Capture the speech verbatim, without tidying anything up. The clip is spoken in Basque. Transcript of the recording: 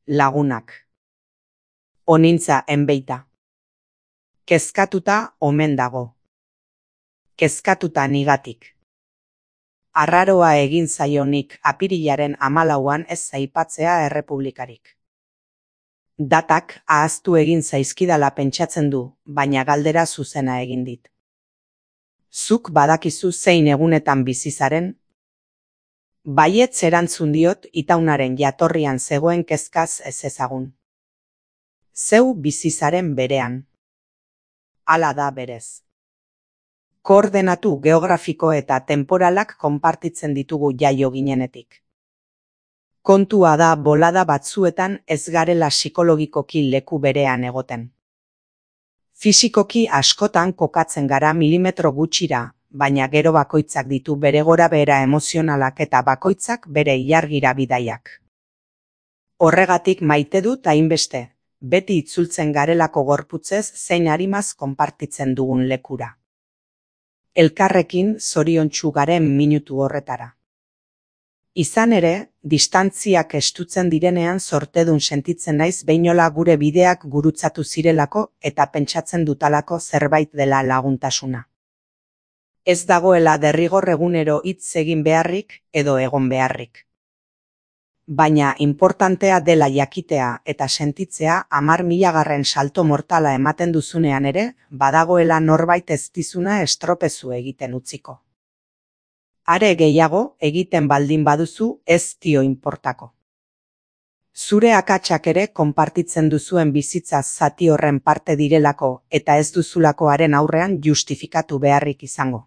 lagunak. Onintza enbeita. Kezkatuta omen dago. Kezkatuta nigatik. Arraroa egin zaionik apirilaren hamalauan ez aipatzea errepublikarik. Datak ahaztu egin zaizkidala pentsatzen du, baina galdera zuzena egin dit. Zuk badakizu zein egunetan bizi zaren? Baietz erantzun diot itaunaren jatorrian zegoen kezkaz ez ezagun. Zeu bizi zaren berean. Hala da berez. Koordenatu geografiko eta temporalak konpartitzen ditugu jaio ginenetik. Kontua da bolada batzuetan ez garela psikologikoki leku berean egoten. Fisikoki askotan kokatzen gara milimetro gutxira, baina gero bakoitzak ditu bere gorabehera emozionalak eta bakoitzak bere ilargira bidaiak. Horregatik maite dut hainbeste, beti itzultzen garelako gorputzez zein arimaz konpartitzen dugun lekura. Elkarrekin zoriontsu garen minutu horretara. Izan ere, distantziak estutzen direnean zortedun sentitzen naiz beinola gure bideak gurutzatu zirelako eta pentsatzen dutalako zerbait dela laguntasuna. Ez dagoela derrigor egunero hitz egin beharrik edo egon beharrik. Baina inportantea dela jakitea eta sentitzea hamar milagarren salto mortala ematen duzunean ere, badagoela norbait ez dizuna estropezu egiten utziko. Are gehiago egiten baldin baduzu ez dio inportako. Zure akatsak ere konpartitzen duzuen bizitza zati horren parte direlako eta ez duzulakoaren aurrean justifikatu beharrik izango.